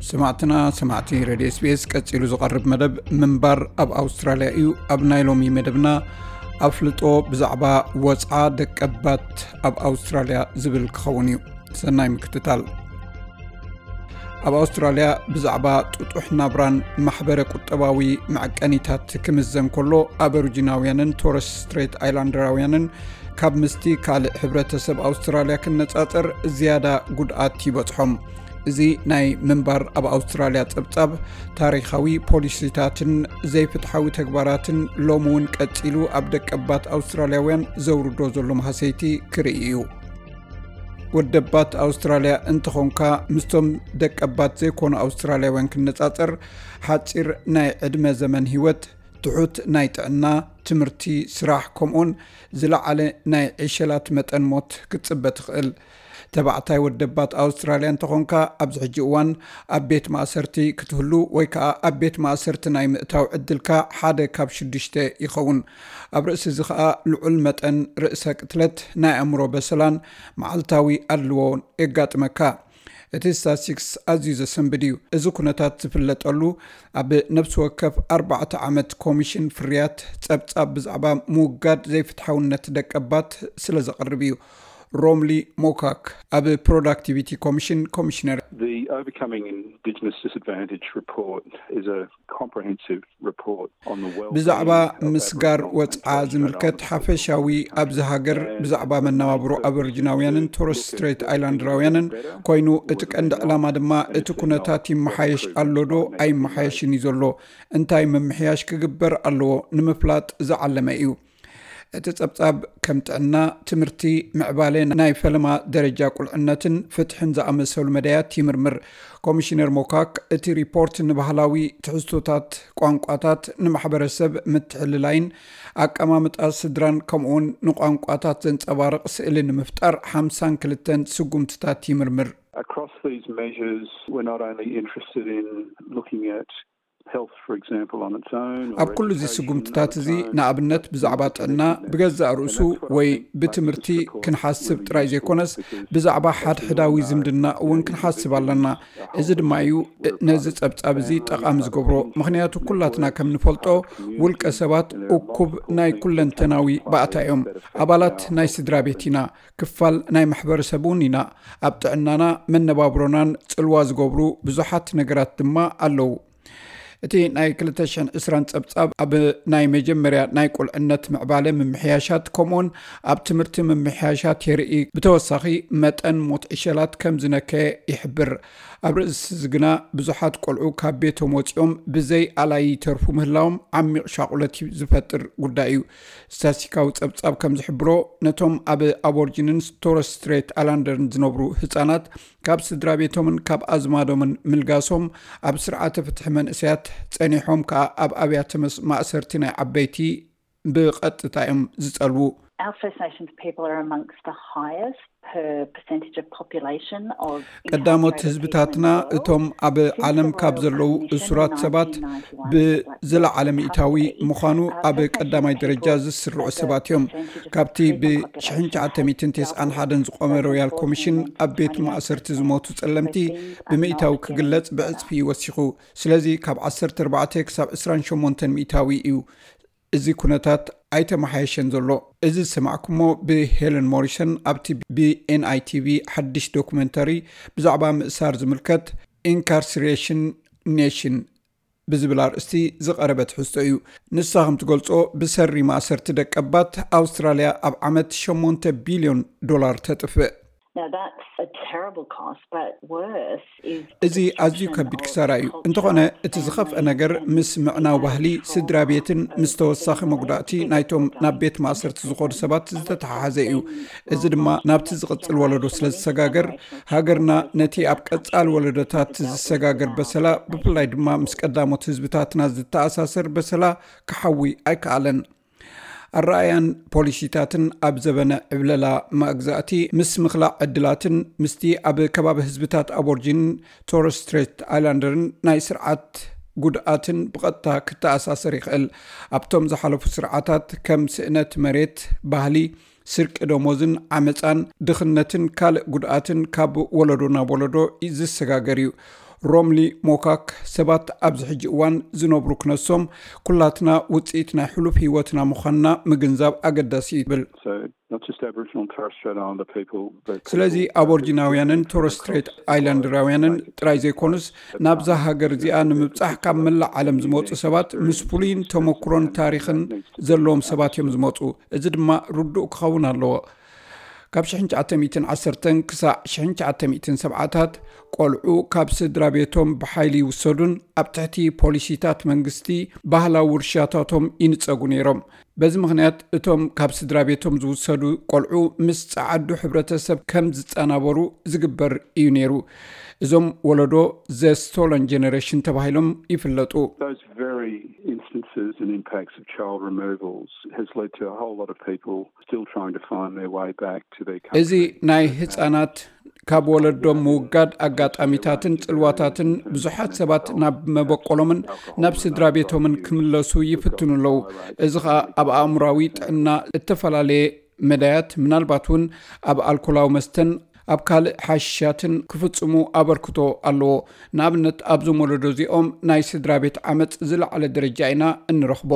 ሰማዕትና ሰማዕቲ ሬድዮ ኤስቢኤስ፣ ቀጺሉ ዝቐርብ መደብ ምንባር ኣብ ኣውስትራልያ እዩ። ኣብ ናይ ሎሚ መደብና ኣፍልጦ ብዛዕባ ወጽዓ ደቀባት ኣብ ኣውስትራልያ ዝብል ክኸውን እዩ። ሰናይ ምክትታል። ኣብ ኣውስትራልያ ብዛዕባ ጥጡሕ ናብራን ማሕበረ ቁጠባዊ መዐቀኒታት ክምዘን ከሎ፣ ኣበሪጂናውያንን ቶረስ ስትሬት ኣይላንደራውያንን ካብ ምስቲ ካልእ ሕብረተሰብ ኣውስትራልያ ክነጻጸር ዝያዳ ጉድኣት ይበጽሖም። እዚ ናይ ምንባር ኣብ ኣውስትራልያ ጸብጻብ ታሪኻዊ ፖሊሲታትን ዘይፍትሓዊ ተግባራትን ሎሚ እውን ቀጺሉ ኣብ ደቀባት ኣውስትራልያውያን ዘውርዶ ዘሎ ማህሰይቲ ክርኢ እዩ። ወደባት ኣውስትራልያ እንተኾንካ፣ ምስቶም ደቀባት ዘይኮኑ ኣውስትራልያውያን ክነጻጸር፣ ሓጺር ናይ ዕድመ ዘመን ህይወት፣ ትሑት ናይ ጥዕና፣ ትምህርቲ፣ ስራሕ፣ ከምኡውን ዝለዓለ ናይ ዕሸላት መጠን ሞት ክትጽበ ትኽእል። ተባዕታይ ወደባት ኣውስትራልያ እንተኾንካ፣ ኣብዚ ሕጂ እዋን ኣብ ቤት ማእሰርቲ ክትህሉ ወይ ከኣ ኣብ ቤት ማእሰርቲ ናይ ምእታው ዕድልካ ሓደ ካብ ሽዱሽተ ይኸውን። ኣብ ርእሲ እዚ ከኣ ልዑል መጠን ርእሰ ቅትለት፣ ናይ ኣእምሮ በሰላን መዓልታዊ ኣድልዎን የጋጥመካ። እቲ ስታትስቲክስ ኣዝዩ ዘሰንብድ እዩ። እዚ ኩነታት ዝፍለጠሉ ኣብ ነፍሲ ወከፍ ኣርባዕተ ዓመት ኮሚሽን ፍርያት ጸብጻብ ብዛዕባ ምውጋድ ዘይፍትሓውነት ደቀባት ስለ ዘቕርብ እዩ። ሮምሊ ሞካክ ኣብ ፕሮዳክቲቪቲ ኮሚሽን ኮሚሽነር። The Overcoming Indigenous Disadvantage report is a comprehensive report on the well-being ብዛዕባ of ምስጋር Aboriginal ወጽዓ and Torres Strait ዝምልከት Islanders ሓፈሻዊ ኣብዚ ሃገር ብዛዕባ መነባብሮ ኣበሪጂናውያንን ቶረስ ስትሬት ኣይላንደራውያንን ኮይኑ፣ እቲ ቀንዲ ዕላማ ድማ እቲ ኩነታት ይመሓየሽ ኣሎ ዶ ኣይመሓየሽን እዩ ዘሎ፣ እንታይ ምምሕያሽ ክግበር ኣለዎ ንምፍላጥ ዝዓለመ እዩ። እቲ ጸብጻብ ከም ጥዕና፣ ትምህርቲ፣ ምዕባለ፣ ናይ ፈለማ ደረጃ ቁልዕነትን ፍትሕን ዝኣመሰሉ መዳያት ይምርምር። ኮሚሽነር ሞካክ፣ እቲ ሪፖርት ንባህላዊ ትሕዝቶታት ቋንቋታት፣ ንማሕበረሰብ ምትሕልላይን ኣቀማምጣ ስድራን ከምኡውን ንቋንቋታት ዘንጸባርቕ ስእሊ ንምፍጣር ሓምሳን ክልተን ስጉምትታት ይምርምር። Across these measures, we're not only interested in looking at health, for example, on its own, or ኣብ ኩሉ እዚ education, ስጉምትታት እዚ፣ ንኣብነት ብዛዕባ ጥዕና ብገዛእ ርእሱ ወይ ብትምህርቲ ክንሓስብ ጥራይ ዘይኮነስ፣ ብዛዕባ ሓድሕዳዊ ዝምድና እውን ክንሓስብ ኣለና። እዚ ድማ እዩ ነዚ ጸብጻብ እዚ ጠቓሚ ዝገብሮ፣ ምኽንያቱ ኩላትና ከም ንፈልጦ፣ ውልቀ ሰባት እኩብ ናይ ኩለንተናዊ ባእታ እዮም። ኣባላት ናይ ስድራ ቤት ኢና፣ ክፋል ናይ ማሕበረሰብ እውን ኢና። ኣብ ጥዕናና፣ መነባብሮናን ጽልዋ ዝገብሩ ብዙሓት ነገራት ድማ ኣለዉ። እቲ ናይ ክልተ ሽሕን ዕስራን ጸብጻብ ኣብ ናይ መጀመርያ ናይ ቁልዕነት ምዕባለ ምምሕያሻት ከምኡውን ኣብ ትምህርቲ ምምሕያሻት የርኢ። ብተወሳኺ፣ መጠን ሞት ዕሸላት ከም ዝነከየ ይሕብር። ኣብ ርእሲ እዚ ግና፣ ብዙሓት ቆልዑ ካብ ቤቶም ወጺኦም ብዘይ ኣላይ ይተርፉ ምህላዎም ዓሚቕ ሻቑለት ዝፈጥር ጉዳይ እዩ። ስታስቲካዊ ጸብጻብ ከም ዝሕብሮ፣ ነቶም ኣብ ኣቦርጂንን ቶረስ ስትሬት ኣላንደርን ዝነብሩ ህጻናት፣ ካብ ስድራ ቤቶምን ካብ ኣዝማዶምን ምልጋሶም፣ ኣብ ስርዓተ ፍትሒ መንእሰያት ጸኒሖም ከኣ ኣብ ኣብያተ መስ-፣ ማእሰርቲ ናይ ዓበይቲ ብቐጥታ እዮም ዝጸልዉ። Our First Nations people are amongst the highest per percentage of population of ቀዳሞት entire ህዝብታትና Aboriginal እቶም ኣብ ዓለም ካብ ዘለዉ እሱራት ሰባት ብዝለዓለ ሚእታዊ ምዃኑ ኣብ ቀዳማይ ደረጃ ዝስርዑ ሰባት እዮም። ካብቲ ብ ሽሕን ትሽዓተ ሚእትን ተስዓን ሓደን ዝቖመ ሮያል ኮሚሽን ኣብ ቤት ማእሰርቲ ዝሞቱ ጸለምቲ ብሚእታዊ ክግለጽ ብዕጽፊ እዩ ወሲኹ። ስለዚ ካብ ዓሰርተ ኣርባዕተ ክሳብ ዕስራን ሸሞንተን ሚእታዊ እዩ። እዚ ኩነታት ኣይተመሓየሸን ዘሎ። እዚ ዝሰማዕኩሞ ብሄለን ሞሪሰን ኣብቲ ብኤንኣይቲቪ ሓድሽ ዶኩመንተሪ ብዛዕባ ምእሳር ዝምልከት ኢንካርሲሬሽን ኔሽን ብዝብል ኣርእስቲ ዝቐረበ ትሕዝቶ እዩ። ንሳ ከም ትገልጾ፣ ብሰሪ ማእሰርቲ ደቀባት ኣውስትራልያ ኣብ ዓመት ሸሞንተ ቢልዮን ዶላር ተጥፍእ። Now that's a terrible cost, but worse is እዚ ኣዝዩ ከቢድ ክሳራ እዩ። እንተኾነ እቲ ዝኸፍአ ነገር ምስ ምዕናው ባህሊ ስድራ ቤትን ምስ ተወሳኺ መጉዳእቲ ናይቶም ናብ ቤት ማእሰርቲ ዝኾኑ ሰባት ዝተተሓሓዘ እዩ። እዚ ድማ ናብቲ ዝቕጽል ወለዶ ስለ ዝሰጋገር፣ ሃገርና ነቲ ኣብ ቀጻሊ ወለዶታት ዝሰጋገር በሰላ፣ ብፍላይ ድማ ምስ ቀዳሞት ህዝብታትና ዝተኣሳሰር በሰላ ክሓዊ ኣይከኣለን። ኣረኣያን ፖሊሲታትን ኣብ ዘበነ ዕብለላ መግዛእቲ ምስ ምኽላእ ዕድላትን ምስቲ ኣብ ከባቢ ህዝብታት ኣቦርጂንን ቶረስ ስትሬት ኣይላንደርን ናይ ስርዓት ጉድኣትን ብቐጥታ ክተኣሳሰር ይኽእል። ኣብቶም ዝሓለፉ ስርዓታት ከም ስእነት መሬት፣ ባህሊ፣ ስርቂ ደሞዝን ዓመጻን፣ ድኽነትን ካልእ ጉድኣትን ካብ ወለዶ ናብ ወለዶ ዝሰጋገር እዩ። ሮምሊ ሞካክ፣ ሰባት ኣብዚ ሕጂ እዋን ዝነብሩ ክነሶም፣ ኩላትና ውፅኢት ናይ ሕሉፍ ህይወትና ምዃንና ምግንዛብ ኣገዳሲ እዩ ይብል። So not just Aboriginal and Torres Strait Islander people, but ስለዚ ኣቦርጂናውያንን ቶረስ ስትሬት ኣይላንድራውያንን ጥራይ ዘይኮኑስ፣ ናብዛ ሃገር እዚኣ ንምብጻሕ ካብ መላእ ዓለም ዝመፁ ሰባት ምስ ፍሉይን ተመክሮን ታሪኽን ዘለዎም ሰባት እዮም ዝመፁ። እዚ ድማ ርዱእ ክኸውን ኣለዎ። ካብ ሽሕን ትሽዓተ ሚእትን ዓሰርተን ክሳዕ ሽሕን ትሽዓተ ሚእትን ሰብዓታት ቆልዑ ካብ ስድራ ቤቶም ብሓይሊ ይውሰዱን ኣብ ትሕቲ ፖሊሲታት መንግስቲ ባህላዊ ውርሻታቶም ይንጸጉ ነይሮም። በዚ ምኽንያት እቶም ካብ ስድራ ቤቶም ዝውሰዱ ቆልዑ ምስ ጸዓዱ ሕብረተሰብ ከም ዝጸናበሩ ዝግበር እዩ ነይሩ። እዞም ወለዶ ዘ ስቶለን ጀነሬሽን ተባሂሎም ይፍለጡ። Those very instances and impacts of child removals has led to a whole lot of people still trying to find their way back to their country. እዚ ናይ ህጻናት ካብ ወለዶም ምውጋድ ኣጋጣሚታትን ጽልዋታትን ብዙሓት ሰባት ናብ መበቆሎምን ናብ ስድራ ቤቶምን ክምለሱ ይፍትኑ ኣለዉ። እዚ ኸኣ ኣብ ኣእምራዊ ጥዕና እተፈላለየ መዳያት፣ ምናልባት እውን ኣብ ኣልኮላዊ መስተን ኣብ ካልእ ሓሽሻትን ክፍጽሙ ኣበርክቶ ኣለዎ። ንኣብነት ኣብዞም ወለዶ እዚኦም ናይ ስድራ ቤት ዓመጽ ዝለዓለ ደረጃ ኢና እንረኽቦ።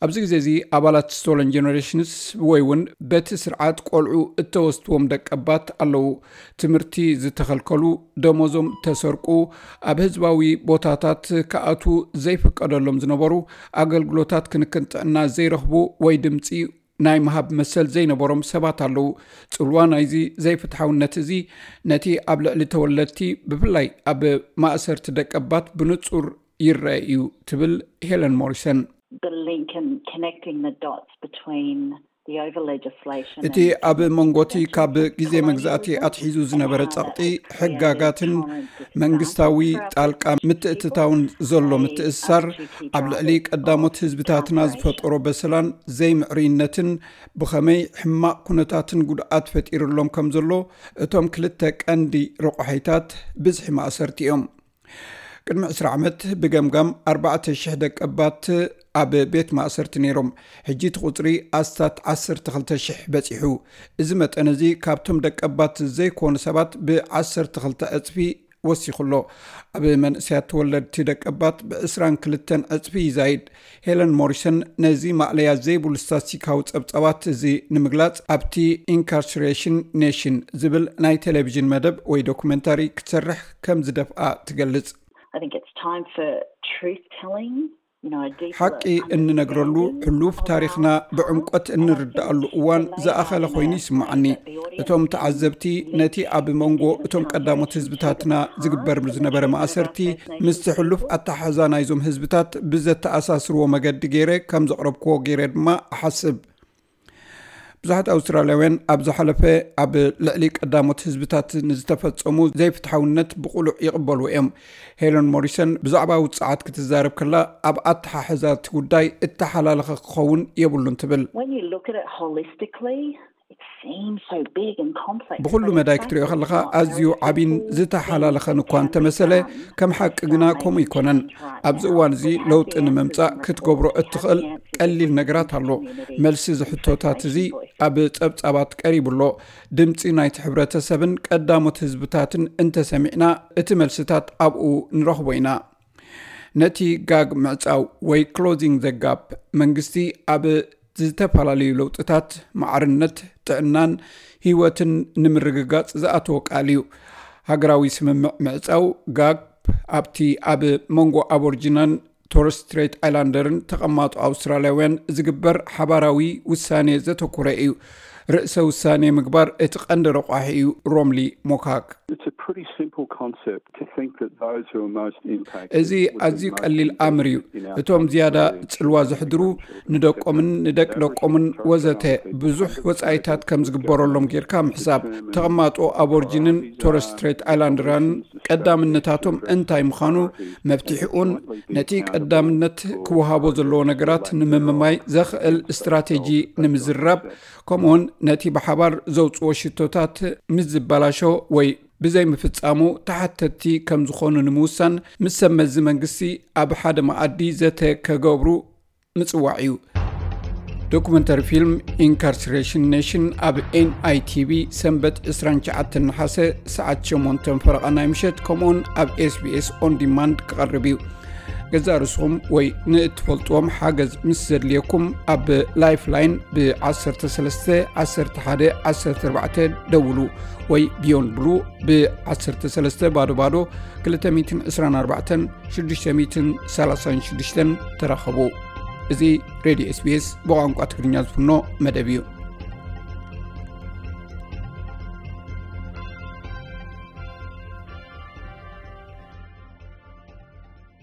ኣብዚ ግዜ እዚ ኣባላት ስቶለን ጀነሬሽንስ ወይ እውን በቲ ስርዓት ቆልዑ እተወስድዎም ደቀባት ኣለዉ። ትምህርቲ ዝተኸልከሉ፣ ደሞዞም ተሰርቁ፣ ኣብ ህዝባዊ ቦታታት ክኣቱ ዘይፍቀደሎም ዝነበሩ፣ ኣገልግሎታት ክንክን ጥዕና ዘይረኽቡ ወይ ድምፂ ናይ ምሃብ መሰል ዘይነበሮም ሰባት ኣለዉ። ጽልዋ ናይዚ ዘይፍትሓውነት እዚ ነቲ ኣብ ልዕሊ ተወለድቲ ብፍላይ ኣብ ማእሰርቲ ደቀባት ብንጹር ይረአ እዩ ትብል ሄለን ሞሪሰን። The link and connecting the dots between the over legislation እቲ ኣብ መንጎቲ ካብ ግዜ መግዛእቲ ኣትሒዙ ዝነበረ ጸቕጢ ሕጋጋትን መንግስታዊ ጣልቃ ምትእትታውን ዘሎ ምትእስሳር ኣብ ልዕሊ ቀዳሞት ህዝብታትና ዝፈጠሮ በሰላን ዘይምዕርይነትን ብኸመይ ሕማቕ ኩነታትን ጉድኣት ፈጢሩሎም ከም ዘሎ እቶም ክልተ ቀንዲ ረቋሒታት ብዝሒ ማእሰርቲ እዮም። ቅድሚ ዕስራ ዓመት ብገምጋም ኣርባዕተ ሽሕ ደቀባት ኣብ ቤት ማእሰርቲ ነይሮም። ሕጂ እቲ ቁፅሪ ኣስታት ዓሰርተ ክልተ ሽሕ በፂሑ። እዚ መጠን እዚ ካብቶም ደቀባት ዘይኮኑ ሰባት ብዓሰርተ ክልተ ዕፅፊ ወሲኹ ኣሎ። ኣብ መንእሰያት ተወለድቲ ደቀባት ብዕስራን ክልተን ዕፅፊ ይዛይድ። ሄለን ሞሪሰን ነዚ ማእለያ ዘይብሉ ስታስቲካዊ ጸብጻባት እዚ ንምግላጽ ኣብቲ ኢንካርሰሬሽን ኔሽን ዝብል ናይ ቴሌቪዥን መደብ ወይ ዶኩመንታሪ ክትሰርሕ ከም ዝደፍኣ ትገልጽ። I think it's time for truth telling. ሓቂ እንነግረሉ፣ ሕሉፍ ታሪኽና ብዕምቆት እንርድኣሉ እዋን ዝኣኸለ ኮይኑ ይስምዓኒ። እቶም ተዓዘብቲ ነቲ ኣብ መንጎ እቶም ቀዳሞት ህዝብታትና ዝግበር ዝነበረ ማእሰርቲ ምስቲ ሕሉፍ ኣተሓሕዛ ናይዞም ህዝብታት ብዘተኣሳስርዎ መገዲ ገይረ ከም ዘቕረብክዎ ገይረ ድማ እሓስብ። ብዙሓት ኣውስትራልያውያን ኣብ ዝሓለፈ ኣብ ልዕሊ ቀዳሞት ህዝብታት ንዝተፈጸሙ ዘይፍትሓውነት ብቕሉዕ ይቕበሉ እዮም። ሄለን ሞሪሰን ብዛዕባ ውጽዓት ክትዛረብ ከላ፣ ኣብ ኣተሓሕዛ እቲ ጉዳይ እተሓላለኸ ክኸውን የብሉን ትብል። When you look at it holistically, it seems so big and complex. ብኹሉ መዳይ ክትሪኦ ከለኻ ኣዝዩ ዓቢን ዝተሓላለኸን እኳ እንተመሰለ፣ ከም ሓቂ ግና ከምኡ ኣይኮነን። ኣብዚ እዋን እዚ ለውጢ ንምምጻእ ክትገብሮ እትኽእል ቀሊል ነገራት ኣሎ። መልሲ እዚ ሕቶታት እዚ ኣብ ጸብጻባት ቀሪቡ ኣሎ። ድምጺ ናይቲ ሕብረተሰብን ቀዳሞት ህዝብታትን እንተሰሚዕና፣ እቲ መልስታት ኣብኡ ንረኽቦ ኢና። ነቲ ጋግ ምዕጻው ወይ ክሎዚንግ ዘ ጋፕ መንግስቲ ኣብ ዝተፈላለዩ ለውጥታት፣ ማዕርነት፣ ጥዕናን ህይወትን ንምርግጋጽ ዝኣተወ ቃል እዩ። ሃገራዊ ስምምዕ ምዕጻው ጋፕ ኣብቲ ኣብ መንጎ ኣቦርጂናን ቶረስ ስትሬት ኣይላንደርን ተቐማጦ ኣውስትራልያውያን ዝግበር ሓባራዊ ውሳኔ ዘተኮረ እዩ። ርእሰ ውሳኔ ምግባር እቲ ቀንዲ ረቋሒ እዩ። ሮምሊ ሞካክ። It's a pretty simple concept to think that those who are most impacted እዚ ኣዝዩ ቀሊል ኣምር እዩ። እቶም ዝያዳ ጽልዋ ዘሕድሩ ንደቆምን ንደቂ ደቆምን ወዘተ ብዙሕ ወጻኢታት ከም ዝግበረሎም ጌርካ ምሕሳብ። ተቐማጦ ኣቦርጂንን ቶረስ ስትሬት ኣይላንደራን ቀዳምነታቶም እንታይ ምዃኑ፣ መፍትሒኡን ነቲ ቀዳምነት ክወሃቦ ዘለዎ ነገራት ንምምማይ ዘኽእል ስትራቴጂ ንምዝራብ፣ ከምኡውን ነቲ ብሓባር ዘውፅዎ ሽቶታት ምስ ዝበላሾ ወይ ብዘይምፍጻሙ ተሓተትቲ ከም ዝኾኑ ንምውሳን፣ ምስ ሰብ መዚ መንግስቲ ኣብ ሓደ መኣዲ ዘተ ከገብሩ ምጽዋዕ እዩ። ዶኩመንተሪ ፊልም ኢንካርሲሬሽን ኔሽን ኣብ ኤንኣይቲቪ ሰንበት ዕስራን ትሽዓተን ነሓሰ ሰዓት ሸሞንተ ፈረቓ ናይ ምሸት፣ ከምኡውን ኣብ ኤስቢኤስ ኦን ዲማንድ ክቐርብ እዩ። ገዛእ ርእስኹም ወይ ንእትፈልጥዎም ሓገዝ ምስ ዘድልየኩም፣ ኣብ ላይፍላይን ብ ዓሰርተ ሰለስተ ዓሰርተ ሓደ ዓሰርተ ኣርባዕተ ደውሉ፣ ወይ ቢዮንድ ብሉ ብ ዓሰርተ ሰለስተ ባዶ ባዶ ክልተ ሚእትን ዕስራን ኣርባዕተን ሽዱሽተ ሚእትን ሰላሳን ሽዱሽተን ተራኸቡ። እዚ ሬድዮ ኤስቢኤስ ብቋንቋ ትግርኛ ዝፍኖ መደብ እዩ።